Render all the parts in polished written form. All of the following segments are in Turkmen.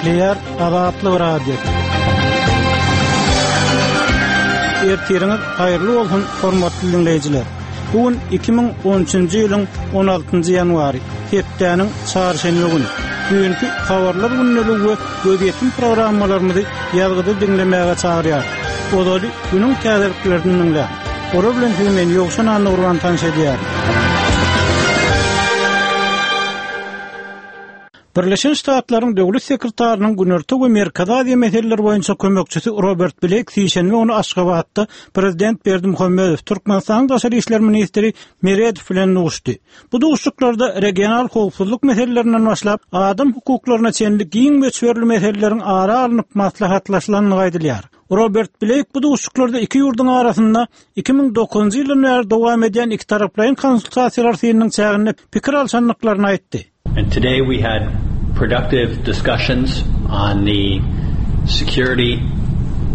Gepleýär Azatlyk Radiosy. Ertiriňiz haýyrly bolsun, hormatly diňleýjiler! Bu gün 2013-nji ýylyň 16-njy ýanwary, hepdäniň çarşenbe güni. Düýnki Habarlar gündeligi we Gözýetim programmalarymyzy ýazgyda diňlemäge çagyrýarys. Ozaly günüň täzeliklerini diňläň. Olar bilen sizi men Ýowşan Annagurban tanyş edýärin. Birleşen Ştatlaryň Döwlet sekretarynyň Günorta we Merkezi Aziýa meseleleri boýunça kömekçisi Robert Bleýk sişenbe güni Aşgabatda prezident Berdimuhamedow, Türkmenistanyň daşary işler ministri Meredow bilen duşdy. Bu duşuşyklarda regional howpsuzlyk meselelerinden başlap, adam hukuklaryna çenli giň möçberli meseleleriň ara alnyp maslahatlaşylandygy aýdylýar. Robert Bleýk bu duşuşyklarda iki ýurduň arasynda 2009-njy ýyldan bäri dowam edýän ikitaraplaýyn konsultasiýalar synynyň çäginde pikir alşandyklaryny aýtdy. And today we had productive discussions on the security,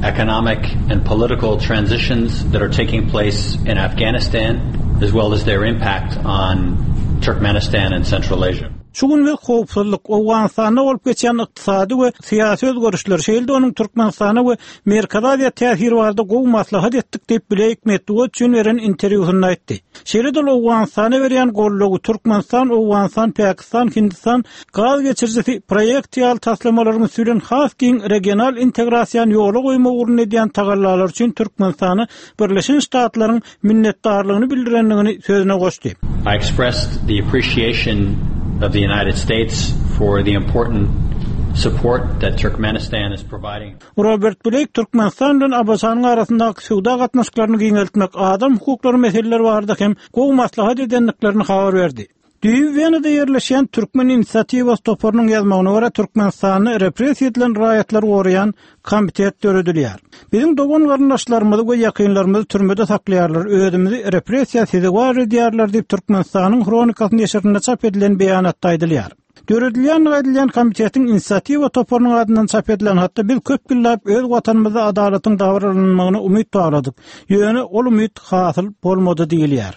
economic and political transitions that are taking place in Afghanistan, as well as their impact on Turkmenistan and Central Asia. Şu gün biz howpsuzlyk, Owganystanda bolup geçýän ykdysady we syýasy özgerişler, şeýle-de onuň Türkmenistana we Merkezi Aziýa täsiri barada gowy maslahat etdik diýip, Bleýk metbugat üçin beren interwýusynda aýtdy. Şeýle-de ol Owganystana berýän goldawy, Türkmenistan, Owganystan, Pakistan, Hindistan gaz geçirijisi proýekti ýaly taslamalaryň üsti bilen has giň regional integrasiýany ýola goýmak ugrunda edýän tagallalary üçin Türkmenistana Birleşen Ştatlaryň minnetdarlygyny bildirendigini sözüne goşdy. I expressed the appreciation of the United States for the important support that Turkmenistan is providing. Robert Bleýk Türkmenistan bilen ABŞ-nyň arasyndaky söwda gatnaşyklaryny giňeltmek, adam hukuklary meseleleri barada hem gowy maslahat edendiklerini habar berdi. Düýbi Wenada ýerleşýän Türkmen inisiatiwasy toparynyň ýazmagyna görä, Türkmenistanda repressiýa edilen raýatlary goraýan komitet döredilýär. Biziň dogan-garyndaşlarymyzy we ýakynlarymyzy türmede saklaýarlar, özümizi repressiýa sezewar edýärler diýip, Türkmenistanyň Hronikasy neşirinde çap edilen beýanatda aýdylýar. Döredilýändigi aýdylýan komitetiň inisiatiwa toparynyň adyndan çap edilen hatda biz köp ýyllap öz watanymyzda adalatyň dabaralanmagyna umyt bagladyk. Ýöne ol umyt hasyl bolmady diýilýär.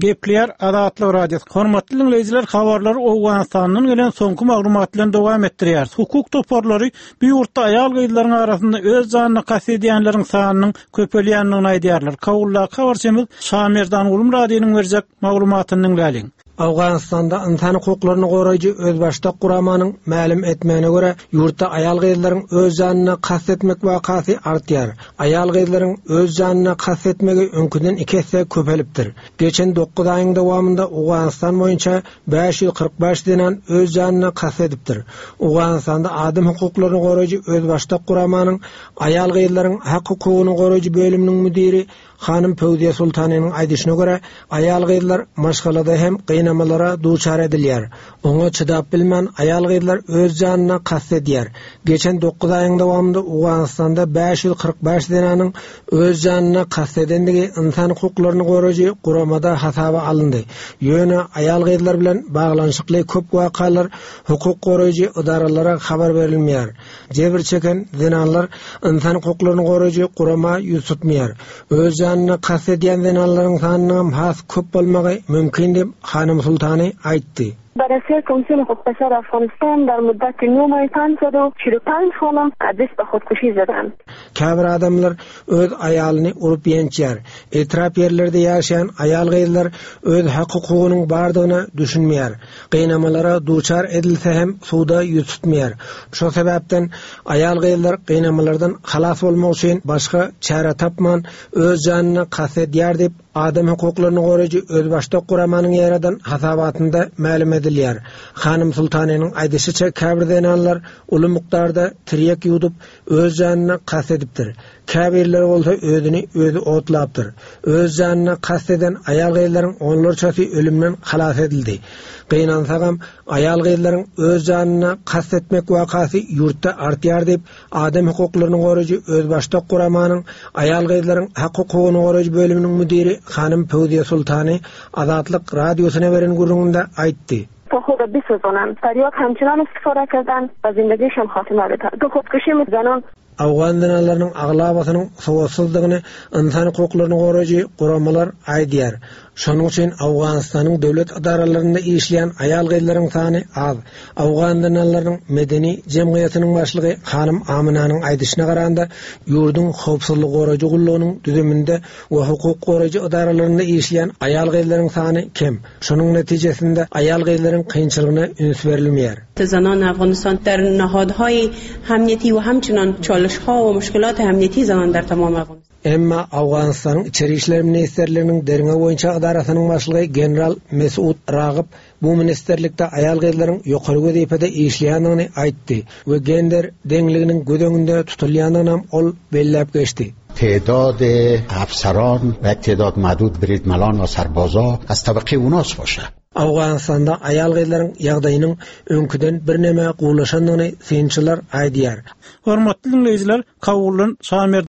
Gepleýär Azatlyk Radiosy. Hormatly diňleýjiler, habarlary Owganystandan gelen soňky maglumat bilen dowam etdirýäris. Hukuk toparlary bu ýurtda aýal-gyzlaryň arasynda öz janyna kast edýänleriň sanynyň köpelýändigini aýdýarlar. Kabuldaky habarçymyz Şamerdan Gulmyradynyň berjek maglumatyny diňläliň. Owganystanda ynsan hukuklaryny goraýjy özbaşdak guramanyň mälim etmegine görä, ýurtda aýal-gyzlaryň öz janyna kast etmek wakasy artýar. Aýal-gyzlaryň öz janyna kast etmegi öňküden iki esse köpelipdir. Geçen dokuz aýyň dowamynda Owganystan boýunça 545 zenan öz janyna kast edipdir. Owganystanda adam hukuklaryny goraýjy özbaşdak guramanyň Aýal-gyzlaryň hak-hukugyny goraýjy bölüminiň müdiri hanym Pöwziýe Sultanynyň aýdyşyna görä, aýal-gyzlar maşgalada hem gynamalara duçar edilýär. Oňa çydap bilmän, aýal-gyzlar öz janyna kast edýär. Geçen dokuz aýyň dowamynda Owganystanda 545 zenanyň öz janyna kast edendigi ynsan hukuklaryny goraýjy guramada hasaba alyndy. Ýöne aýal-gyzlar bilen baglanyşykly köp wakalar hukuk goraýjy edaralara habar berilmeýär. Jebir çeken zenanlar ynsan hukuklaryny goraýjy gurama ýüz tutmaýar. Öz janyna kast edýän zenanlaryň sanynyňam has köp bolmagy mümkin diýip, hanym Sultany aýtdy. بررسی کمیسیون حقوق بشر افغانستان در مدت 9 ماه 545 خانم دست به خودکشی زدند. Käbir adamlar öz aýalyny urup ýençýär. Etrap ýerlerde ýaşaýan aýal-gyzlar öz hak-hukugynyň bardygyna düşünmeýär. Gynamalara duçar edilse hem suda ýüz tutmaýar. Şo sebäpden aýal-gyzlar gynamalardan halas bolmak üçin başga çäre tapman öz janyna kast edýär diýip, adam hukuklaryny goraýjy özbaşdak guramanyň ýaradan hasabatynda mälim edilýär. Hanym Sultanynyň aýdyşyça käbir zenanlar uly mukdarda tirýek ýuwdup öz janyna kast edipdir. Käbirleri bolsa özüni özi otlapdyr. Öz janyna kast eden aýal-gyzlaryň onlarçasy ölümden halas edildi. Gynansagam, aýal-gyzlaryň öz janyna kast etmek wakasy ýurtda artýar diýip, adam hukuklaryny goraýjy özbaşdak guramanyň aýal-gyzlaryň hak-hukugyny goraýjy bölüminiň müdiri hanym Pöwziýe Sultany Azatlyk Radiosyna beren gürrüňinde aýtdy. تا خود را بسوزانند تریاک همچنان استفاده کردند و زندگیشان خاتمه بدهند به خودکشی زنان Owgan zenanlarynyň aglabasynyň sowatsyzdygyny ynsan hukuklaryny goraýjy guramalar aýdýar. Şonuň üçin Owganystanyň döwlet edaralarynda işleýän aýal-gyzlaryň sany az. Owgan zenanlarynyň medeni jemgyýetiniň başlygy hanym Aminanyň aýdyşyna garanda, ýurduň howpsuzlygy goraýjy gullugynyň düzüminde we hukuk goraýjy edaralarynda işleýän aýal-gyzlaryň sany kem. Şonuň netijesinde aýal-gyzlaryň kynçylygyna üns berilmeýär. زنان افغانستان در نهادهای امنیتی و همچنان چالش ها و مشکلات امنیتی زنان در تمام افغانستان Emma Owganystanyň Içeri işler ministrliginiň derňew boýunça edarasynyň başlygy general Mesud Ragyp bu ministrlikde aýal-gyzlaryň ýokary wezipede işleýändigini aýtdy we gender deňliginiň göz öňünde tutulýandygynam ol belläp geçdi. تعداد افسران و یک تعداد معدود بریدملان و سربازا از طبقه اوناس باشه. Owganystanda aýal-gyzlaryň ýagdaýynyň öňküden birneme gowulaşandygyny synçylar aýdýar. Hormatly diňleýjiler, Kabuldan Şamerdan.